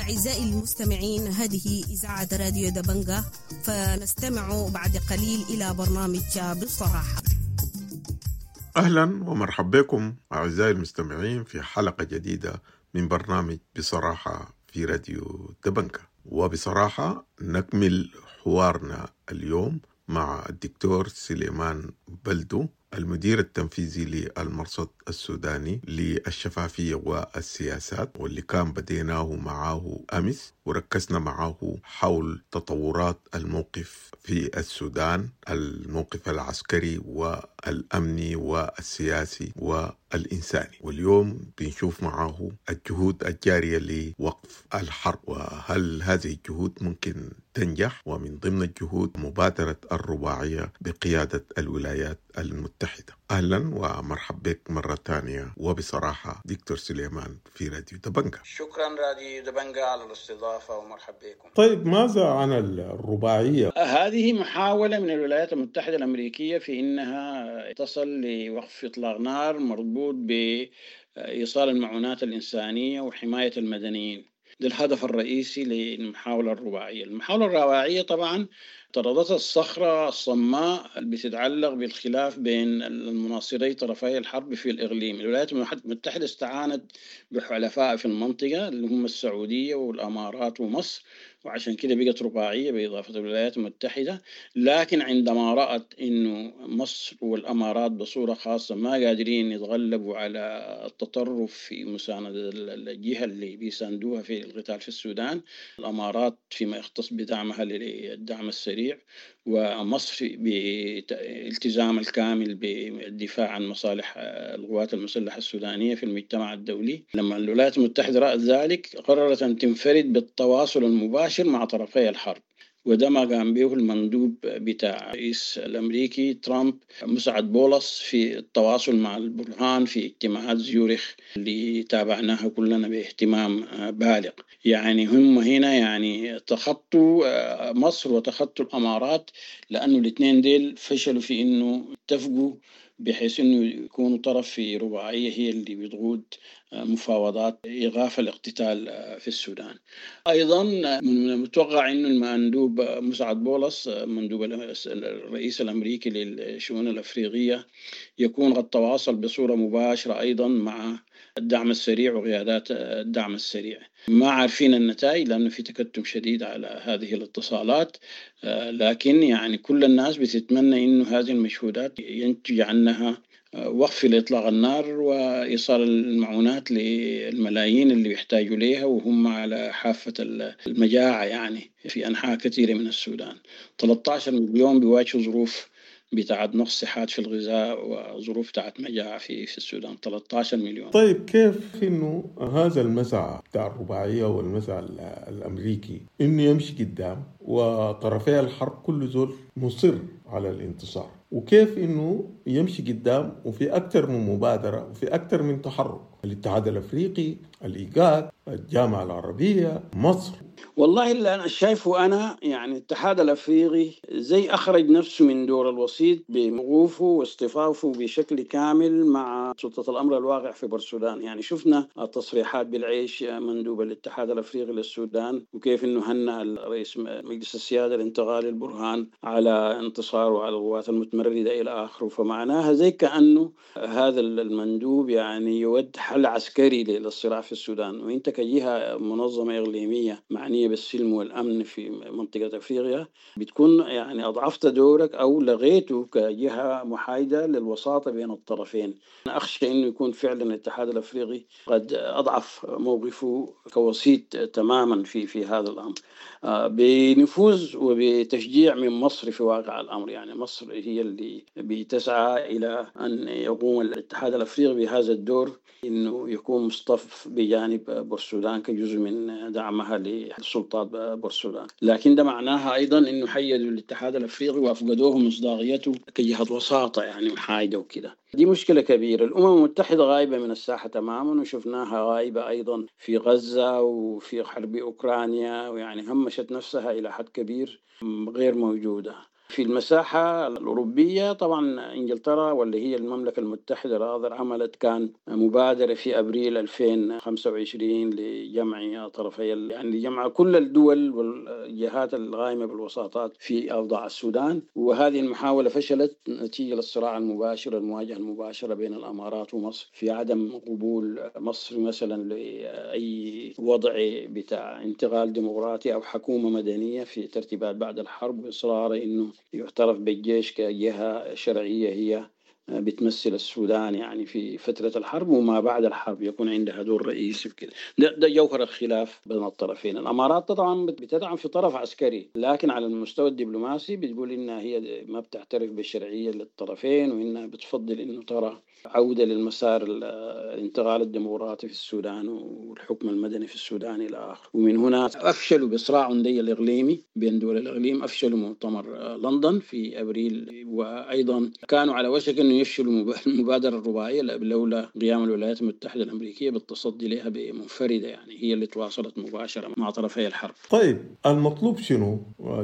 أعزائي المستمعين، هذه إذاعة راديو دبنجة، فنستمع بعد قليل إلى برنامج بصراحة. أهلا ومرحبا بكم أعزائي المستمعين في حلقة جديدة من برنامج بصراحة في راديو دبنجة. وبصراحة نكمل حوارنا اليوم مع الدكتور سليمان بلدو، المدير التنفيذي للمرصد السوداني للشفافية والسياسات، واللي كان بديناه معاه أمس وركزنا معاه حول تطورات الموقف في السودان، الموقف العسكري والأمني والسياسي والإنساني. واليوم بنشوف معاه الجهود الجارية لوقف الحرب، وهل هذه الجهود ممكن تنجح، ومن ضمن الجهود مبادرة الرباعية بقيادة الولايات المتحدة. أهلا ومرحبا بك مرة ثانية وبصراحة دكتور سليمان في راديو دبنجة. شكرا راديو دبنجة على الاستضافة ومرحبا بكم. طيب، ماذا عن الرباعية؟ هذه محاولة من الولايات المتحدة الأمريكية في إنها تصل لوقف إطلاق نار مربوط بإيصال المعونات الإنسانية وحماية المدنيين. ده الهدف الرئيسي للمحاولة الرباعية. المحاولة الرباعية طبعا طردتها الصخرة الصماء اللي بتتعلق بالخلاف بين المناصري طرفي الحرب في الإقليم. الولايات المتحدة استعانت بحلفاء في المنطقة اللي هم السعودية والأمارات ومصر، وعشان كده بقت رباعية بإضافة الولايات المتحدة. لكن عندما رأت إنه مصر والأمارات بصورة خاصة ما قادرين يتغلبوا على التطرف في مساندة الجهة اللي بيساندوها في القتال في السودان، الأمارات فيما يختص بدعمها للدعم السريع، ومصر بالتزام الكامل بالدفاع عن مصالح القوات المسلحة السودانية في المجتمع الدولي. لما الولايات المتحدة رأت ذلك قررت أن تنفرد بالتواصل المباشر مع طرفي الحرب، وده ما قام به المندوب بتاع الرئيس الأمريكي ترامب مسعد بولس في التواصل مع البرهان في اجتماعات زيورخ اللي تابعناها كلنا باهتمام بالغ. يعني هم هنا يعني تخطوا مصر وتخطوا الأمارات، لأنه الاثنين ديل فشلوا في إنه اتفقوا بحيث إنه يكونوا طرف في رباعية هي اللي بتقود مفاوضات إيقاف الاقتتال في السودان. أيضا من المتوقع إنه المندوب مسعد بولس مندوب الرئيس الأمريكي للشؤون الأفريقية يكون قد تواصل بصورة مباشرة أيضا مع الدعم السريع وقيادات الدعم السريع. ما عارفين النتائج لأنه في تكتم شديد على هذه الاتصالات، لكن يعني كل الناس بتتمنى إنه هذه المجهودات ينتج عنها وقف لإطلاق النار وإيصال المعونات للملايين اللي يحتاجوا ليها وهم على حافة المجاعة يعني في أنحاء كثيرة من السودان. 13 مليون بيواجهوا ظروف بتاعت نقص حاد في الغذاء وظروف بتاعت مجاعة في السودان، 13 مليون. طيب، كيف إنه هذا المسعى بتاع الرباعية والمسعى الأمريكي إنه يمشي قدام وطرفي الحرب كل زول مصر على الانتصار، وكيف إنه يمشي قدام وفي أكثر من مبادرة وفي أكثر من تحرك، الاتحاد الأفريقي، الإيجاد، الجامعة العربية، مصر؟ والله اللي أنا شايفه أنا يعني الاتحاد الأفريقي زي أخرج نفسه من دور الوسيط بوقوفه واصطفافه بشكل كامل مع سلطة الأمر الواقع في بورسودان. يعني شفنا التصريحات بالعيش مندوب الاتحاد الأفريقي للسودان، وكيف إنه هنأ الرئيس مجلس السيادة الانتقالي البرهان على انتصاره على القوات المتمردة إلى آخره. فمعناها زي كأنه هذا المندوب يعني يود حل عسكري للصراع في السودان، وإنت كجهة منظمة إقليمية معنية بالسلم والأمن في منطقة أفريقيا بتكون يعني أضعفت دورك أو لغيته كجهة محايدة للوساطة بين الطرفين. أنا أخشى أنه يكون فعلا الاتحاد الأفريقي قد أضعف موقفه كوسيط تماما في هذا الأمر، بنفوذ وبتشجيع من مصر في واقع الأمر. يعني مصر هي اللي بتسعى إلى أن يقوم الاتحاد الأفريقي بهذا الدور، إنه يكون مصطف بجانب بورسودان كجزء من دعمها للسلطات بورسودان. لكن ده معناها أيضا إنه حيدوا الاتحاد الأفريقي وأفقدوه مصداقيته كجهة وساطة يعني محايدة وكده. دي مشكلة كبيرة. الأمم المتحدة غايبة من الساحة تماما، وشفناها غايبة أيضا في غزة وفي حرب أوكرانيا، ويعني همشت نفسها إلى حد كبير، غير موجودة. في المساحة الأوروبية طبعا إنجلترا واللي هي المملكة المتحدة rather عملت كان مبادرة في أبريل 2025 لجمع طرفي، يعني لجمع كل الدول والجهات القائمة بالوساطات في أوضاع السودان، وهذه المحاولة فشلت نتيجة للصراع المباشر، المواجهة المباشرة بين الأمارات ومصر في عدم قبول مصر مثلا لأي وضع بتاع انتقال ديمقراطي أو حكومة مدنية في ترتيبات بعد الحرب، وإصرار إنه يعترف بالجيش كجهة شرعية هي بتمثل السودان يعني في فترة الحرب وما بعد الحرب يكون عندها دور رئيسي وكده. ده جوهر الخلاف بين الطرفين. الأمارات طبعا بتدعم في طرف عسكري، لكن على المستوى الدبلوماسي بتقول إنها هي ما بتعترف بالشرعية للطرفين، وإنها بتفضل إنه ترى عودة للمسار الانتقال الديمقراطي في السودان والحكم المدني في السودان إلى آخره. ومن هنا أفشلوا بصراع دي الإقليمي بين دول الإقليم، أفشلوا مؤتمر لندن في أبريل، وأيضا كانوا على وشك أنه يفشلوا المبادرة الرباعية لولا قيام الولايات المتحدة الأمريكية بالتصدي لها بمنفردة، يعني هي اللي تواصلت مباشرة مع طرفي الحرب. طيب المطلوب شنو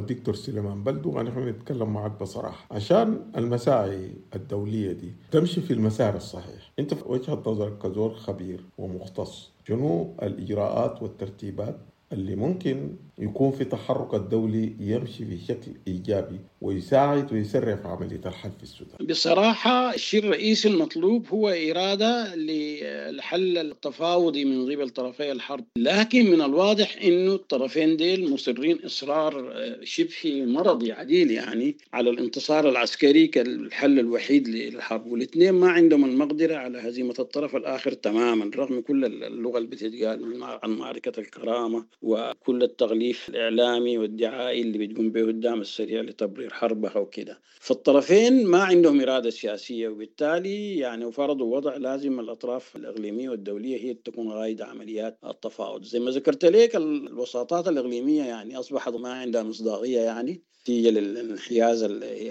دكتور سليمان بلدو؟ نحن نتكلم معك بصراحة عشان المساعي الدولية دي تمشي في المسار الصحيح. انت في وجهة نظرك كزول خبير ومختص، شنو الإجراءات والترتيبات اللي ممكن يكون في تحرك الدولي يمشي في شكل إيجابي ويساعد ويسرع في عملية الحل في السودان؟ بصراحة الشيء الرئيسي المطلوب هو إرادة للحل التفاوضي من قبل طرفي الحرب، لكن من الواضح إنه الطرفين ديل مصرين إصرار شبه مرضي عديل يعني على الانتصار العسكري كالحل الوحيد للحرب، والاثنين ما عندهم المقدرة على هزيمة الطرف الآخر تماما، رغم كل اللغة اللي بتتقال عن معركة الكرامة وكل التغليف الإعلامي والدعائي اللي بتقوم به الدعم السريع لتبرير حربها وكده. فالطرفين ما عندهم إرادة سياسية، وبالتالي يعني فرضوا وضع لازم الأطراف الإقليمية والدولية هي تكون قائدة عمليات التفاوض. زي ما ذكرت لك الوساطات الإقليمية يعني أصبحت ما عندها مصداقية، يعني نتيجة للانحياز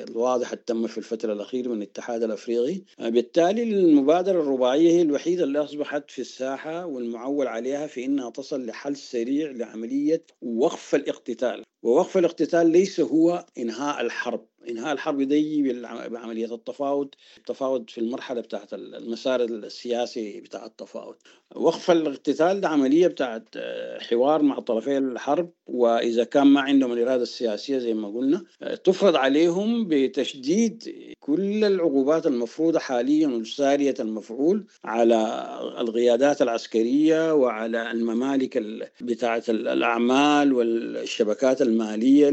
الواضح التم في الفترة الأخيرة من الاتحاد الأفريقي. بالتالي المبادرة الرباعية هي الوحيدة اللي أصبحت في الساحة والمعول عليها في أنها تصل لحل سريع لعملية وقف الاقتتال. ووقف الاقتتال ليس هو إنهاء الحرب، إنهاء الحرب دي بعملية التفاوض، التفاوض في المرحلة بتاعت المسار السياسي بتاع التفاوض. وقف الاقتتال ده عملية بتاعت حوار مع طرفي الحرب، وإذا كان ما عندهم الإرادة السياسية زي ما قلنا تفرض عليهم بتشديد كل العقوبات المفروضة حاليا والسارية المفعول على القيادات العسكرية وعلى الممالك بتاعت الأعمال والشبكات المالية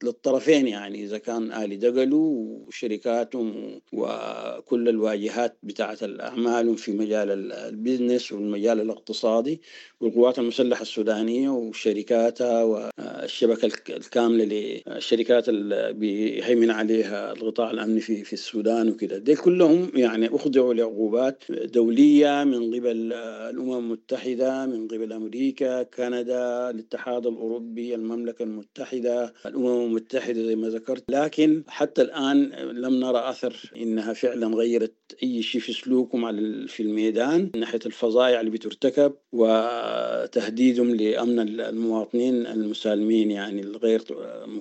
للطرفين، يعني إذا كان آل دقلو وشركاتهم وكل الواجهات بتاعت الأعمال في مجال البيزنس والمجال الاقتصادي والقوات المسلحة السودانية وشركاتها والشبكة الكاملة للشركات اللي بيهيمن عليها القطاع الأمني في السودان وكده. دي كلهم يعني أخضعوا لعقوبات دولية من قبل الأمم المتحدة، من قبل أمريكا، كندا، الاتحاد الأوروبي، المملكة المتحدة، الأمم المتحدة زي ما ذكرت، لكن حتى الآن لم نرى أثر إنها فعلا غيرت أي شيء في سلوكهم في الميدان من ناحية الفظائع اللي بترتكب وتهديدهم لأمن المواطنين المسالمين يعني الغير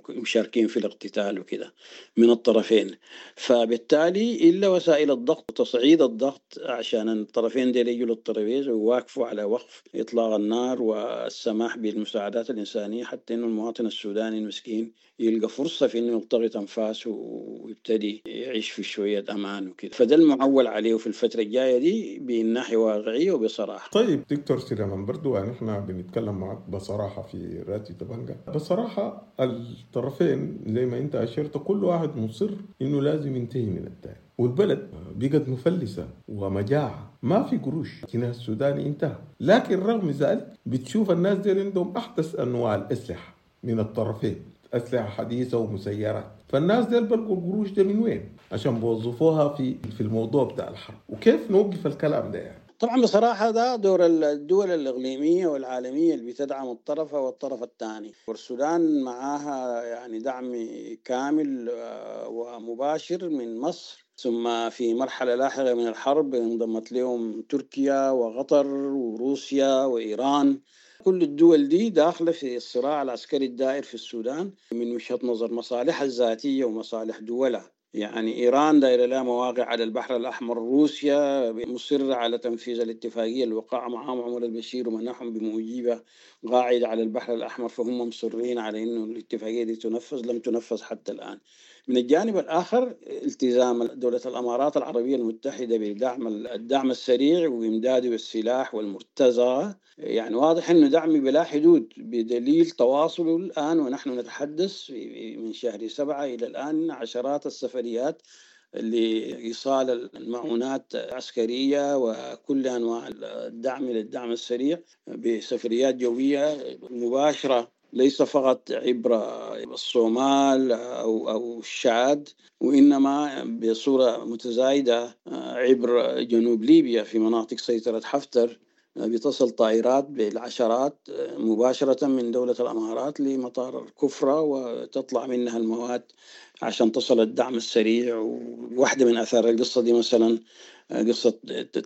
مشاركين في الاقتتال وكده من الطرفين. فبالتالي إلا وسائل الضغط وتصعيد الضغط عشان الطرفين دي يجوا للترابيزة ويواقفوا على وقف إطلاق النار والسماح بالمساعدات الإنسانية حتى إنه المواطن السوداني المسكين يلقى فرصة في إنه يلتقط أنفاسه ويبتدي يعيش في شوية أمان وكده. فده المعول عليه في الفترة الجاية دي بالناحية واقعية وبصراحة. طيب دكتور سليمان برضو يعني احنا بنتكلم معك بصراحة في راديو دبنجة. بصراحة الطرفين زي ما انت أشرت كل واحد مصر انه لازم ينتهي من الثاني، والبلد بقت مفلسة ومجاعة، ما في قروش، الجنيه السوداني انتهى. لكن رغم ذلك بتشوف الناس دي عندهم أحدث أنواع الأسلحة من الطرفين، أسلحة حديثة ومسيرات، فالناس دي بلقوا القروش ده من وين عشان بوظفوها في الموضوع بتاع الحرب؟ وكيف نوقف الكلام ده يعني؟ طبعا بصراحة ده دور الدول الإقليمية والعالمية اللي بتدعم الطرف والطرف الثاني، والسودان معاها يعني دعم كامل ومباشر من مصر، ثم في مرحلة لاحقة من الحرب انضمت لهم تركيا وقطر وروسيا وإيران. كل الدول دي داخلة في الصراع العسكري الدائر في السودان من وجهة نظر مصالحها الذاتية ومصالح دولها. يعني إيران دايرة لها مواقع على البحر الأحمر، روسيا مصرة على تنفيذ الاتفاقية اللي وقعها معهم عمر البشير ومنحهم بموجبها قاعدة على البحر الأحمر، فهم مصرين على إنه الاتفاقية دي تنفذ، لم تنفذ حتى الآن. من الجانب الآخر التزام دولة الأمارات العربية المتحدة بدعم الدعم السريع وإمداده بالسلاح والمرتزقة، يعني واضح أنه دعم بلا حدود بدليل تواصله الآن ونحن نتحدث من شهر 7 إلى الآن عشرات السفريات لإيصال المعونات العسكرية وكل أنواع الدعم للدعم السريع بسفريات جوية مباشرة، ليس فقط عبر الصومال أو الشاد، وإنما بصورة متزايدة عبر جنوب ليبيا في مناطق سيطرة حفتر. بتصل طائرات بالعشرات مباشرة من دولة الأمارات لمطار الكفرة وتطلع منها المواد عشان تصل الدعم السريع. وواحدة من آثار القصة دي مثلا قصة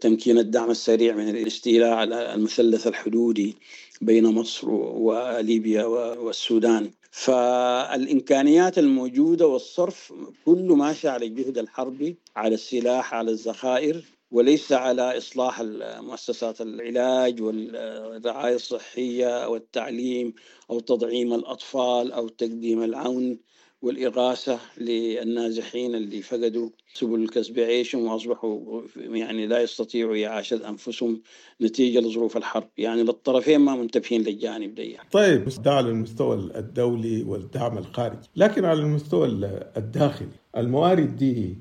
تمكين الدعم السريع من الاستيلاء على المثلث الحدودي بين مصر وليبيا والسودان. فالإمكانيات الموجودة والصرف كله ماشي على الجهد الحربي، على السلاح، على الذخائر، وليس على إصلاح مؤسسات العلاج والرعاية الصحية أو التعليم أو تدعيم الأطفال أو تقديم العون والإغاثة للنازحين اللي فقدوا سبل كسب عيشهم وأصبحوا يعني لا يستطيعوا إعاشة أنفسهم نتيجة لظروف الحرب. يعني للطرفين ما منتبهين للجانب ده. طيب، ده على المستوى الدولي والدعم الخارجي، لكن على المستوى الداخلي الموارد دي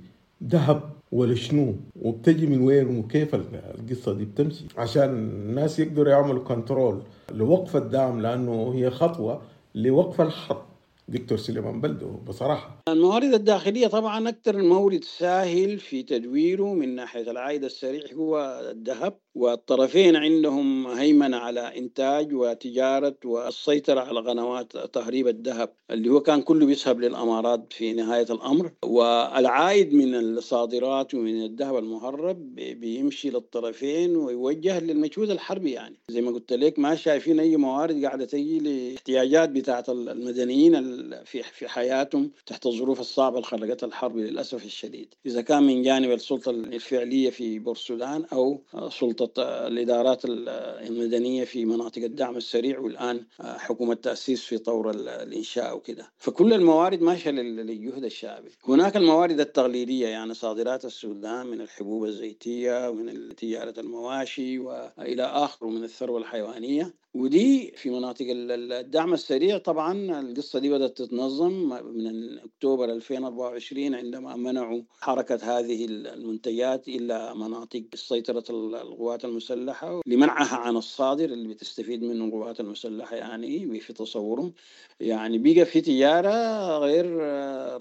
ذهب ولا شنو؟ وبتجي من وين؟ وكيف القصة دي بتمشي عشان الناس يقدروا يعملوا كنترول لوقف الدعم، لأنه هي خطوة لوقف الحرب؟ دكتور سليمان بلدو، بصراحة الموارد الداخلية طبعا أكثر مورد ساهل في تدويره من ناحية العائد السريع هو الذهب، والطرفين عندهم هيمنة على إنتاج وتجارة والسيطرة على قنوات تهريب الذهب اللي هو كان كله بيذهب للأمارات في نهاية الأمر. والعائد من الصادرات ومن الذهب المهرب بيمشي للطرفين ويوجه للمجهود الحربي. يعني زي ما قلت لك ما شايفين أي موارد قاعدة تجي لاحتياجات بتاعة المدنيين في حياتهم تحت الظروف الصعبة اللي خلقتها الحرب للأسف الشديد، إذا كان من جانب السلطة الفعلية في بورسودان أو سلطة الإدارات المدنية في مناطق الدعم السريع، والآن حكومة تأسيس في طور الإنشاء وكده. فكل الموارد ماشية للجهد الشعبي. هناك الموارد التقليدية، يعني صادرات السودان من الحبوب الزيتية ومن تجارة المواشي وإلى آخره من الثروة الحيوانية، ودي في مناطق الدعم السريع. طبعا القصة دي بدأت تتنظم من أكتوبر 2024 عندما منعوا حركة هذه المنتجات إلى مناطق سيطرة القوات المسلحة لمنعها عن الصادر اللي بتستفيد منه القوات المسلحة. يعني في تصورهم يعني بقى في تجارة غير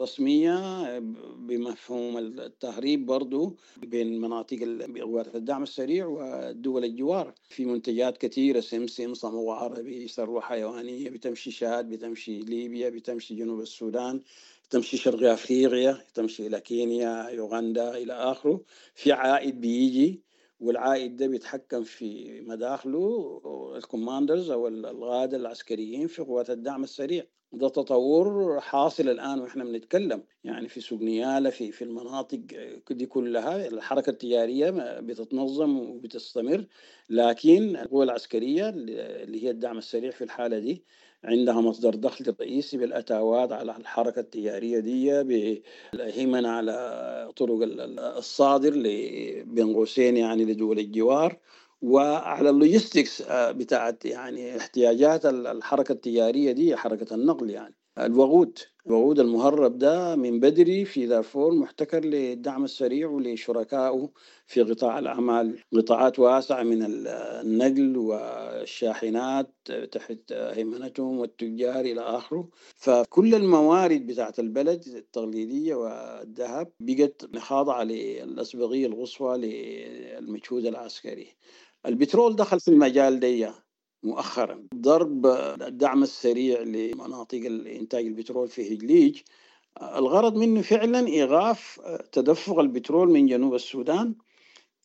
رسمية بمفهوم التهريب برضو بين مناطق قوات الدعم السريع والدول الجوار في منتجات كثيرة، سمسم، صمغ عربي، ثروة حيوانية، بتمشي شاد، بتمشي ليبيا، بتمشي جنوب السودان، تمشي شرق أفريقيا، تمشي إلى كينيا، يوغندا إلى آخره. في عائد بيجي، والعائد ده بيتحكم في مداخله الكوماندرز أو القادة العسكريين في قوات الدعم السريع. ده تطور حاصل الآن وإحنا بنتكلم، يعني في سوق نيالة، في المناطق دي كلها الحركة التجارية بتتنظم وبتستمر، لكن القوى العسكرية اللي هي الدعم السريع في الحالة دي عندها مصدر دخل رئيسي بالأتاوات على الحركة التجارية دي، بالهيمنة على طرق الصادر بين قوسين يعني لدول الجوار، وعلى ال logistics بتاعت يعني احتياجات الحركة التجارية دي، حركة النقل. يعني الوقود المهرب ده من بدري في دارفور محتكر للدعم السريع ولشركائه في قطاع الأعمال، قطاعات واسعة من النقل والشاحنات تحت هيمنتهم والتجار إلى آخره. فكل الموارد بتاعت البلد التقليدية والذهب بقت خاضعة للأسبقية القصوى للمجهود العسكري. البترول دخل في المجال دي مؤخرا، ضرب الدعم السريع لمناطق الإنتاج البترول في هجليج الغرض منه فعلا إيقاف تدفق البترول من جنوب السودان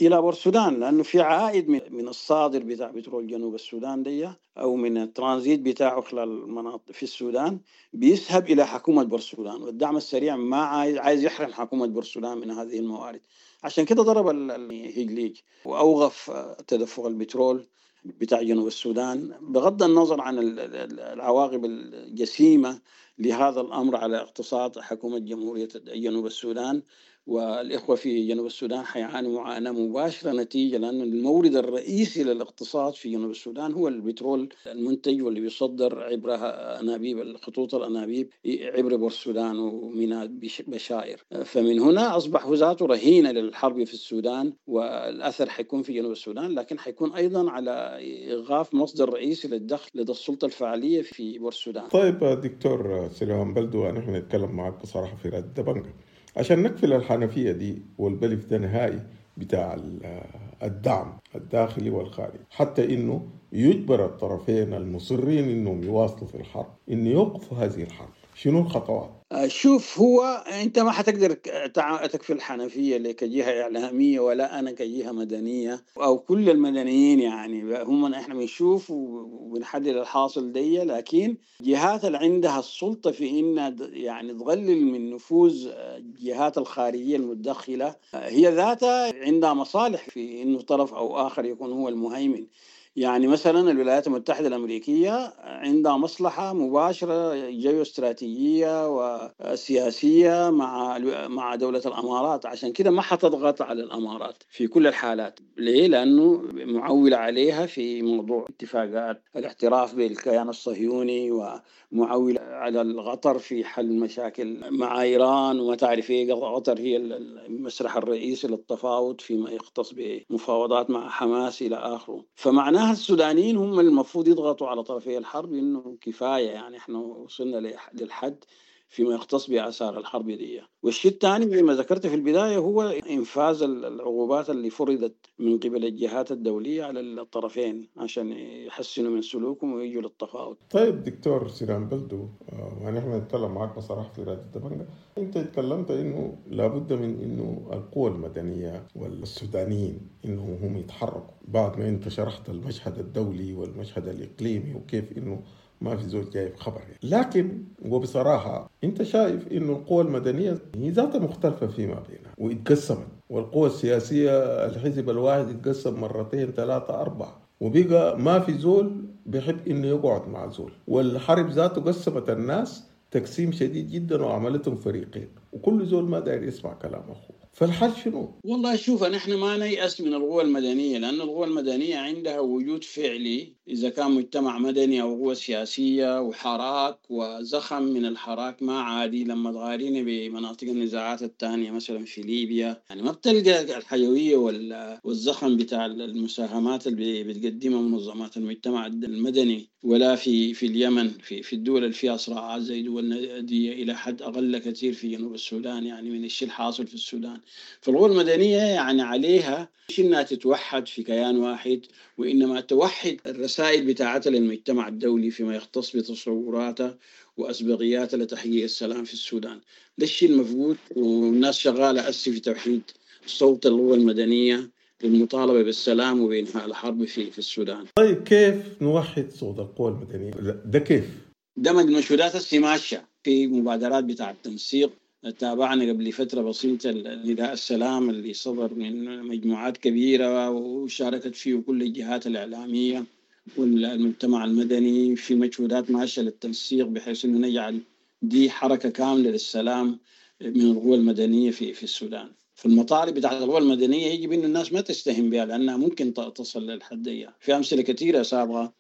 الى بورسودان، لانه في عائد من الصادر بتاع بترول جنوب السودان دي او من الترانزيت بتاعه خلال المناطق في السودان بيذهب الى حكومة بورسودان، والدعم السريع ما عايز يحرم حكومة بورسودان من هذه الموارد. عشان كده ضرب الهجليج واوقف تدفق البترول بتاع جنوب السودان، بغض النظر عن العواقب الجسيمة لهذا الأمر على اقتصاد حكومة جمهورية جنوب السودان. والإخوة في جنوب السودان حيعانوا معاناة مباشرة نتيجة، لأن المورد الرئيسي للاقتصاد في جنوب السودان هو البترول المنتج واللي بيصدر عبر أنابيب الخطوط الأنابيب عبر بورسودان وميناء بشائر. فمن هنا أصبح ذاته رهينة للحرب في السودان، والأثر حيكون في جنوب السودان، لكن حيكون أيضا على إيقاف مصدر رئيسي للدخل لدى السلطة الفعلية في بورسودان. طيب دكتور سليمان بلدو، نحن نتكلم معك بصراحة في راديو دبنجة عشان نقفل الحنفية دي والبلف ده نهائي بتاع الدعم الداخلي والخارجي، حتى إنه يجبر الطرفين المصرين إنهم يواصلوا في الحرب إنه يوقفوا هذه الحرب. شنو الخطوات؟ شوف، هو أنت ما حتقدر تكفي الحنفية كجهة إعلامية ولا أنا كجهة مدنية أو كل المدنيين، يعني هم إحنا بنشوف وبنحدد الحاصل دي، لكن جهات اللي عندها السلطة في إنها يعني تقلل من نفوذ الجهات الخارجية المتدخلة هي ذاتها عندها مصالح في إنه طرف أو آخر يكون هو المهيمن. يعني مثلا الولايات المتحدة الأمريكية عندها مصلحة مباشرة جيوستراتيجية وسياسية مع دولة الأمارات، عشان كده ما حتضغط على الأمارات في كل الحالات. ليه؟ لأنه معولة عليها في موضوع اتفاقات الاعتراف بالكيان الصهيوني، ومعولة على القطر في حل مشاكل مع إيران، وما تعرف إيه، قطر هي المسرح الرئيسي للتفاوض فيما يختص بمفاوضات مع حماس إلى آخره. فمعناها السودانيين هم المفروض يضغطوا على طرفي الحرب إنه كفاية، يعني إحنا وصلنا للحد فيما يختص بآثار الحرب دي. والشيء الثاني زي ما ذكرت في البداية هو إنفاذ العقوبات اللي فرضت من قبل الجهات الدولية على الطرفين عشان يحسنوا من سلوكهم ويجوا للتفاوض. طيب دكتور سليمان بلدو، ونحن نتكلم معك بصراحة في راديو دبنجة، أنت تكلمت إنه لابد من إنه القوى المدنية والسودانيين إنه هم يتحركوا، بعد ما أنت شرحت المشهد الدولي والمشهد الإقليمي وكيف إنه ما في زول جايب خبر يعني. لكن وبصراحة أنت شايف إنه القوى المدنية هي ذاتها مختلفة فيما بينها واتقسمت، والقوى السياسية الحزب الواحد اتقسم مرتين ثلاثة أربعة، وبقى ما في زول بيحب إنه يقعد مع زول، والحرب ذاته قسمت الناس تقسيم شديد جدا وعملتهم فريقين، وكل زول ما داير يسمع كلام أخوه. فالحل شنو؟ والله شوف، نحن ما نيأس من القوى المدنية، لأن القوى المدنية عندها وجود فعلي إذا كان مجتمع مدني أو قوة سياسية وحراك وزخم من الحراك ما عادي. لما تغارين بمناطق النزاعات الثانية مثلا في ليبيا، يعني ما بتلقى الحيوية والزخم بتاع المساهمات اللي بتقدمها منظمات المجتمع المدني، ولا في اليمن، في الدول اللي فيها صراعات زي دول دي إلى حد أقل كثير في جنوب السودان، يعني من الشيء الحاصل في السودان. فالقوى المدنية يعني عليها مش إنها تتوحد في كيان واحد، وإنما توحد الرسائل بتاعتها للمجتمع الدولي فيما يختص بتصوراتها وأسبقياتها لتحقيق السلام في السودان. ده الشيء المفقود، والناس شغالة أسي في توحيد صوت القوى المدنية للمطالبة بالسلام وبإنهاء الحرب في السودان. طيب كيف نوحد صوت القوى المدنية؟ ده كيف؟ ده مجهودات السماشة في مبادرات بتاع التنسيق. تابعنا قبل فترة بسيطة نداء السلام اللي صدر من مجموعات كبيرة وشاركت فيه كل الجهات الإعلامية والمجتمع المدني في مجهودات ماشية للتنسيق بحيث أنه نجعل دي حركة كاملة للسلام من القوى المدنية في السودان. فالمطالب بتاعت القوى المدنية يجب أن الناس ما تستهين بها، لأنها ممكن تصل للحدية. في أمثلة كثيرة سابقة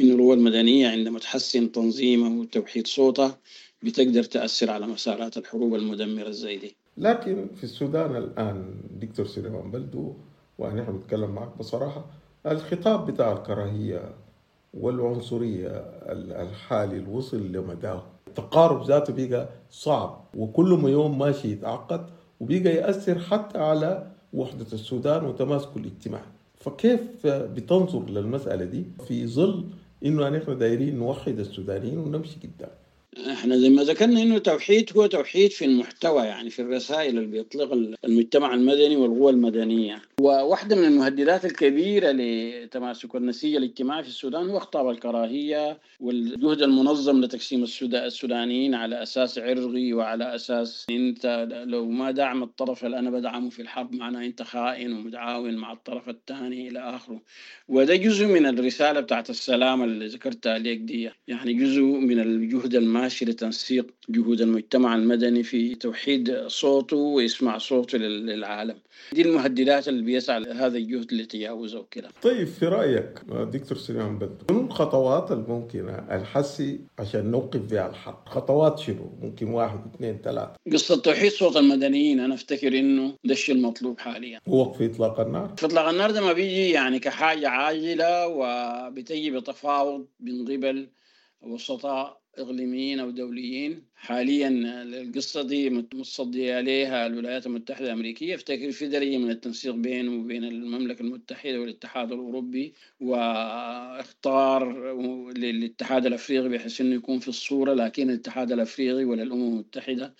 أن القوى المدنية عندما تحسن تنظيمها وتوحيد صوتها بتقدر تأثر على مسارات الحروب المدمرة زي دي. لكن في السودان الآن دكتور سليمان بلدو، وأنا بتكلم معك بصراحة، الخطاب بتاع الكراهية والعنصرية الحالي الوصل لمداه، التقارب ذاته بقى صعب، وكل ما يوم ماشي يتعقد وبقى يأثر حتى على وحدة السودان وتماسكه الاجتماعي. فكيف بتنظر للمسألة دي في ظل إنه نحن دايرين نوحد السودانيين ونمشي قدام؟ احنا زي ما ذكرنا انه توحيد هو توحيد في المحتوى، يعني في الرسائل اللي بيطلقها المجتمع المدني والقوى المدنية. وواحدة من المهددات الكبيرة لتماسك النسيج الاجتماعي في السودان هو خطاب الكراهية والجهد المنظم لتقسيم السودانيين على أساس عرقي وعلى أساس أنت لو ما دعم الطرف اللي أنا بدعمه في الحرب معناه أنت خائن ومتعاون مع الطرف الثاني إلى آخره. وده جزء من الرسالة بتاعت السلام اللي ذكرتها ليك دي، يعني جزء من الجهد الماشي لتنسيق جهود المجتمع المدني في توحيد صوته ويسمع صوته للعالم. دي المهددات اللي بيسعى هذا الجهد لتجاوزه وكده. طيب في رأيك دكتور سليمان بلدو، شنو الخطوات الممكنة الحسي عشان نوقف بها الحرب؟ خطوات شنو؟ ممكن 1 2 3. قصة توحيد صوت المدنيين أنا أفتكر إنه ده الشيء المطلوب حاليا. وقف إطلاق النار؟ في إطلاق النار ده ما بيجي يعني كحاجة عاجلة، وبتجي بتفاوض من قبل وسطاء إقليميين أو دوليين. حاليا القصة دي متصدية عليها الولايات المتحدة الأمريكية. افتكر في درجة من التنسيق بينه وبين المملكة المتحدة والاتحاد الأوروبي، واختار للاتحاد الأفريقي بحيث إنه يكون في الصورة، لكن الاتحاد الأفريقي ولا الأمم المتحدة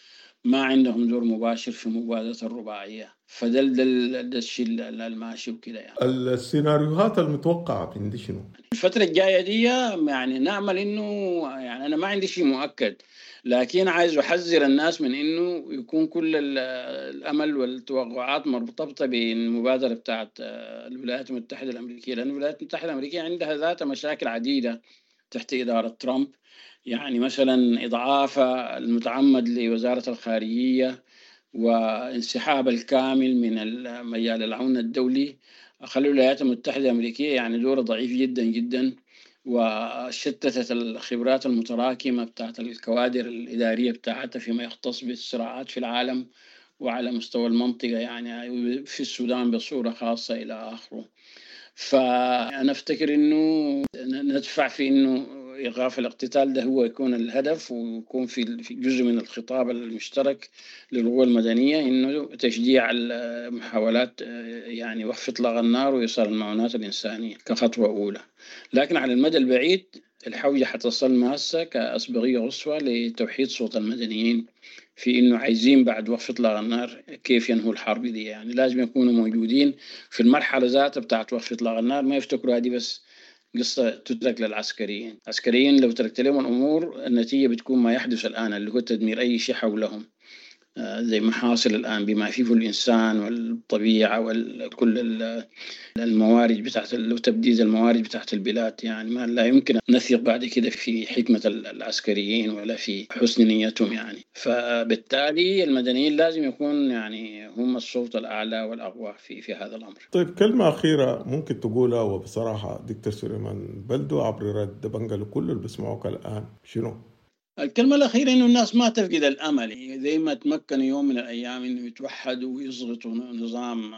ما عندهم دور مباشر في مبادرة الرباعية. فده ده الشيء الماشي وكده يعني. السيناريوهات المتوقعة من دي شنو؟ الفترة الجاية دي يعني نأمل إنه، يعني أنا ما عندي شيء مؤكد، لكن عايز أحذر الناس من إنه يكون كل الأمل والتوقعات مرتبطة بالمبادرة بتاعت الولايات المتحدة الأمريكية، لأن الولايات المتحدة الأمريكية عندها ذات مشاكل عديدة تحت إدارة ترامب. يعني مثلا إضعاف المتعمد لوزارة الخارجية وانسحاب الكامل من مجال العون الدولي خلوا الولايات المتحدة الأمريكية يعني دور ضعيف جدا جدا، وشتتت الخبرات المتراكمة بتاعت الكوادر الإدارية بتاعتها فيما يختص بالصراعات في العالم وعلى مستوى المنطقة، يعني في السودان بصورة خاصة إلى آخره. فأنا أفتكر إنه ندفع في إنه إيقاف الاقتتال ده هو يكون الهدف، ويكون في جزء من الخطاب المشترك للقوى المدنية إنه تشجيع المحاولات يعني وقف إطلاق النار وإيصال المعونات الإنسانية كخطوة أولى. لكن على المدى البعيد الحوجة حتصل ماسة كأسبقية قصوى لتوحيد صوت المدنيين في إنه عايزين بعد وقف إطلاق النار كيف ينهوا الحرب دي. يعني لازم يكونوا موجودين في المرحلة ذاتها بتاعت وقف إطلاق النار، ما يفتكروا هذه بس قصة تترك للعسكريين. العسكريين لو تركت لهم الأمور النتيجة بتكون ما يحدث الآن اللي هو تدمير أي شيء حولهم، زي ما حاصل الآن بما فيه الإنسان والطبيعة وكل الموارد بتاعت وتبديد الموارد بتاعت البلاد. يعني ما لا يمكن نثق بعد كده في حكمة العسكريين ولا في حسن نيتهم يعني. فبالتالي المدنيين لازم يكون يعني هم السلطة الأعلى والأقوى في هذا الأمر. طيب كلمة أخيرة ممكن تقولها وبصراحة دكتور سليمان بلدو عبر رد بنجا لكل اللي بيسمعوك الآن، شنو؟ الكلمة الأخيرة إنه الناس ما تفقد الأمل، زي ما تمكنوا يوم من الأيام إنه يتوحدوا ويضغطوا نظام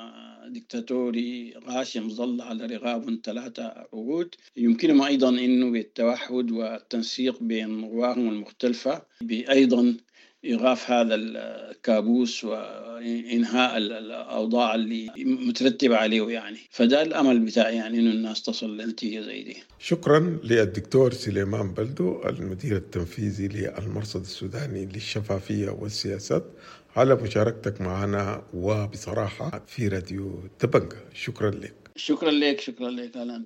ديكتاتوري غاشم ظل على رغاب 3 عقود، يمكنهم أيضا إنه بالتوحد والتنسيق بين قواهم المختلفة بأيضا إيقاف هذا الكابوس وإنهاء الأوضاع اللي مترتبة عليه يعني. فده الأمل بتاعي يعني إنه الناس تصل لنتيجة زي دي. شكرا للدكتور سليمان بلدو المدير التنفيذي للمرصد السوداني للشفافية والسياسات على مشاركتك معنا وبصراحة في راديو دبنجا. شكرا لك. شكرا لك. شكرا لك أهلا.